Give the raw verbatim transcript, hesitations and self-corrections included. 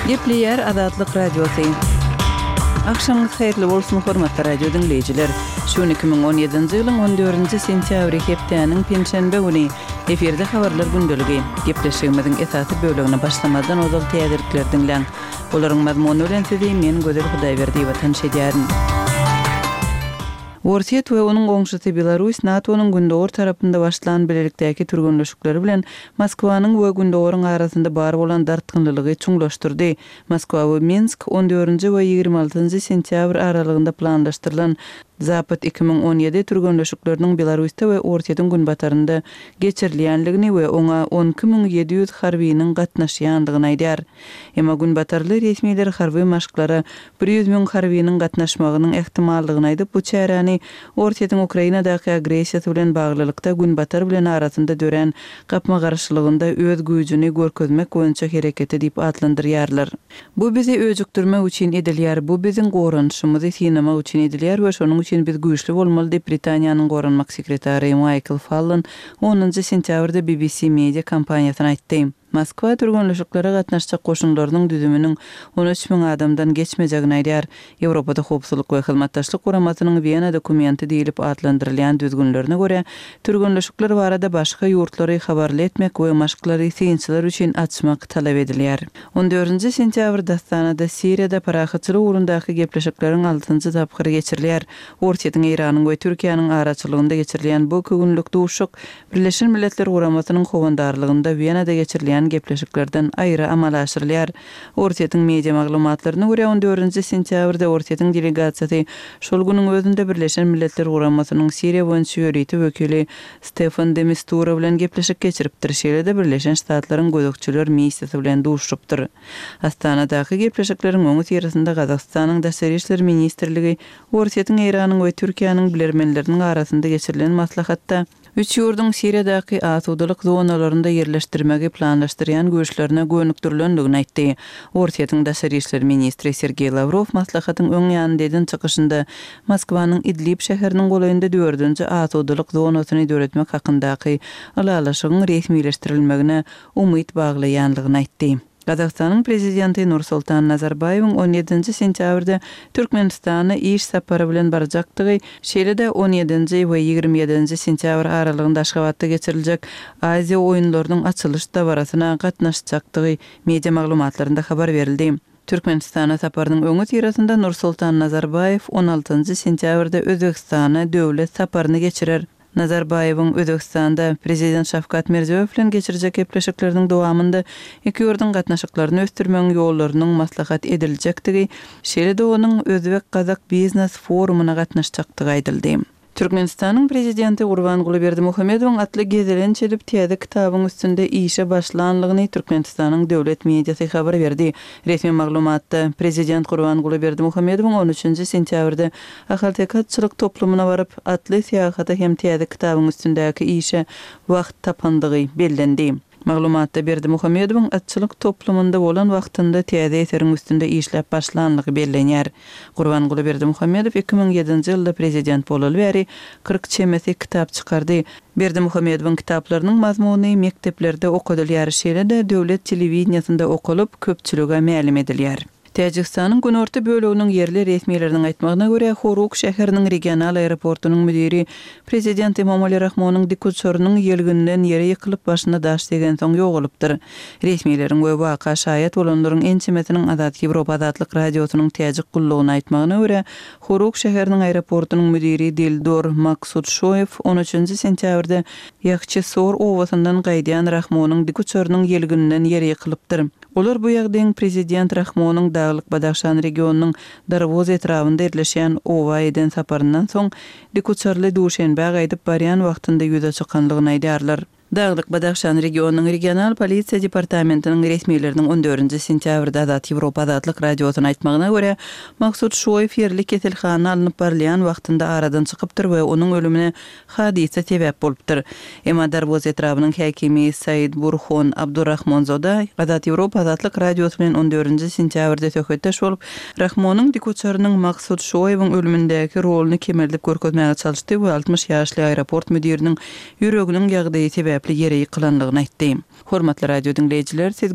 Gepleýär Azatlyk Radiosy. Agşamyňyz haýyrly bolsun, hormatly radio diňleýjiler. Şu gün iki müň on ýedinji ýylyň on dördünji sentýabry hepdäniň penşenbe güni. Efirde habarlar gündeligi. Gepleşigimiziň esasy bölegine başlamazdan ozal täzelikleri diňläň. Olaryň mazmuny bilen sizi men Gözel Hudaýberdiýewa tanyş edýärin. Orsýet we onuň goňşusy Belarus NATO-nyň gündogar tarapynda başlan bilelikdäki türgenleşikleri bilen Moskwanyň we Gündogaryň arasynda bar bolan dartgynlylygy çuňlaşdyrdy. Moskwa we Minsk on dördünji we ýigrimi altynjy sentýabr aralygynda planlaşdyrylan Zapad iki müň on ýedi türgenleşikleriniň Belarusda we Orsýetiň günbatarynda geçirilýändigini we oňa on iki müň ýedi ýüz harbynyň gatnaşýandygyny aýdýar. Emma günbatarly resmiler harby maşklara bir ýüz müň harbynyň gatnaşmagynyň ähtimallygyny aýdyp, bu çäräni Orsýetiň Ukrainadaky agressiýasy bilen baglylykda Günbatar bilen arasynda dörän gapma-garşylygynda öz güýjüni görkezmek boýunça hereketi diýip atlandyrýarlar. Bu bizi öjükdirmek üçin edilýär, bu biziň goranyşymyzy synamak üçin edilýär we şonuň üçin biz güýçli bolmaly diýip Britaniýanyň goranmak sekretary Maýkl Fallon onunjy sentýabrda B B C Media kompaniýasyna aýtdy. Moskwa türgenleşiklere gatnaşjak goşunlarynyň düzüminiň on üç müň adamdan geçmejegini aýdýar. Ýewropada Howpsuzlyk we Hyzmatdaşlyk Guramasynyň Wena dokumenti diýlip atlandyrylýan düzgünlerine görä, türgenleşikler barada başga ýurtlary habarly etmek we maşklary synçylar üçin açmak talap edilýär. On dördünji sentýabrda Astanada Siriýada parahatçylyk ugrundaky gepleşikleriň altynjy tapgyry geçirilýär. Orsýetiň, Eýranyň we Türkiýäniň araçylygynda geçirilýän bu iki günlük duşuşyk Birleşen Milletler Guramasynyň howandarlygynda Wenada geçirilýän gepleşiklerden aýry amala aşyrylýar. Orsýetiň media maglumatlaryna görä on dördünji sentýabrda Orsýetiň delegasiýasy şol günüň özünde Birleşen Milletler Guramasynyň Siriýa boýunça ýörite wekili Stefan de Mistura bilen gepleşik geçiripdir. Şeýle-de Birleşen Ştatlaryň gözegçiler missiýasy bilen duşupdyr. Astanadaky gepleşikleriň öňi syrasynda Gazagystanyň Daşary işler ministrligi Orsýetiň, Eýranyň we Türkiýäniň bilermenleriniň arasynda geçirilen maslahatda üç ýurduň Siriýadaky asudalyk zonalarynda ýerleşdirmegi planlaşdyrýan güýçlerine gönükdirilendigini aýtdy. Orsýetiň Daşary işler ministri Sergeý Lawrow maslahatyň öň ýanynda eden çykyşynda Moskwanyň Idlib şäheriniň golaýynda dördünji asudalyk zonasyny döretmek hakyndaky ylalaşygyň resmileşdirilmegine umyt baglaýanlygyny aýtdy. Gazagystanyň prezidenti Nursultan Nazarbaýewiň on ýedinji sentýabrda Türkmenistana iş sapary bilen barjakdygy, şeýle-de on ýedinji we ýigrimi ýedinji sentýabr aralygynda Aşgabatda geçiriljek Aziýa oýunlarynyň açylyş dabarasyna gatnaşjakdygy media maglumatlarynda habar berildi. Türkmenistana saparynyň öňi syrasynda Nursultan Nazarbaýew on altynjy sentýabrda Özbegistana döwlet saparyny geçirer. Nazarbaýewiň Özbegistanda prezident Şawkat Mirziýoýew bilen geçirjek gepleşikleriniň dowamynda iki ýurduň gatnaşyklaryny ösdürmegiň ýollarynyň maslahat ediljekdigi, şeýle-de onuň Özbek-Gazak biznes forumyna gatnaşjakdygy aýdyldy. Türkmenistanyň prezidenti Gurbanguly Berdimuhamedowyň atly gezelenç edip täze kitabyň üstünde işe başlanlygyny Türkmenistanyň döwlet mediasy habar berdi. Resmi maglumatda prezident Gurbanguly Berdimuhamedowyň on üçünji sentýabrda Ahalteke atçylyk toplumyna baryp, atly syýahata hem täze kitabyň üstündäki işe wagt tapandygy bellendi. Maglumatda Berdimuhamedowyň atçylyk toplumynda bolan wagtynda täze eseriň üstünde işläp başlanlygy bellenýär. Gurbanguly Berdimuhamedow iki müň ýedinji ýylda prezident bolaly bäri kyrk çemesi kitap çykardy. Berdimuhamedowyň kitaplarynyň mazmuny mekdeplerde okadylýar, şeýle-de döwlet telewideniýasynda okalyp, köpçülige mälim edilýär. Täjigistanyň günorta böleginiň ýerli resmileriniň aýtmagyna görä, Horuk şäheriniň regional aeroportunyň müdiri prezident Emomali Rahmonyň dikuçarynyň ýelginden ýere ýykylyp başyna daş degensoň ýogalypdyr. Resmileriň we waka şaýat bolanlaryň ençemesiniň Azat Ýewropa Azatlyk Radiosynyň täjik gullugyna aýtmagyna görä, Horuk şäheriniň aeroportunyň müdiri Dildor Maksudşoýew on üçünji sentýabrda Ýahçesor obasyndan gaýdýan Rahmonyň dikuçarynyň ýelginden ýere ýykylypdyr. Olar bu ýagdaýyň prezident Rahmonyň Daglyk Badahşan regionynyň Darwoz etrabynda ýerleşýän oba eden saparyndan soň dikuçarly Duşenbä gaýdyp barýan wagtynda ýüze çykanlygyny aýdýarlar. Daglyk Badahşan regionynyň regional polisiýa departamentiniň resmileriniň on dördünji sentýabrda Azat Ýewropa Azatlyk Radiosyna aýtmagyna görä, Maksud Şoýew ýerli keselhana alnyp barylýan wagtynda aradan çykypdyr we onuň ölümine hadysa sebäp bolupdyr. Emma Darwoz etrabynyň häkimi Said Burhon Abdurrahmonzoda Azat Ýewropa Azatlyk Radiosy bilen on dördünji sentýabrda söhbetdeş bolup, Rahmonyň dikuçarynyň Maksud Şoýewiň ölümindäki roluny kemeldip görkezmäge çalyşdy we altmyş ýaşly aeroport müdiriniň ýüreginiň ýagdaýy sebäpli ýere ýykylanlygyny aýtdy. Hormatly radio diňleýjiler, siz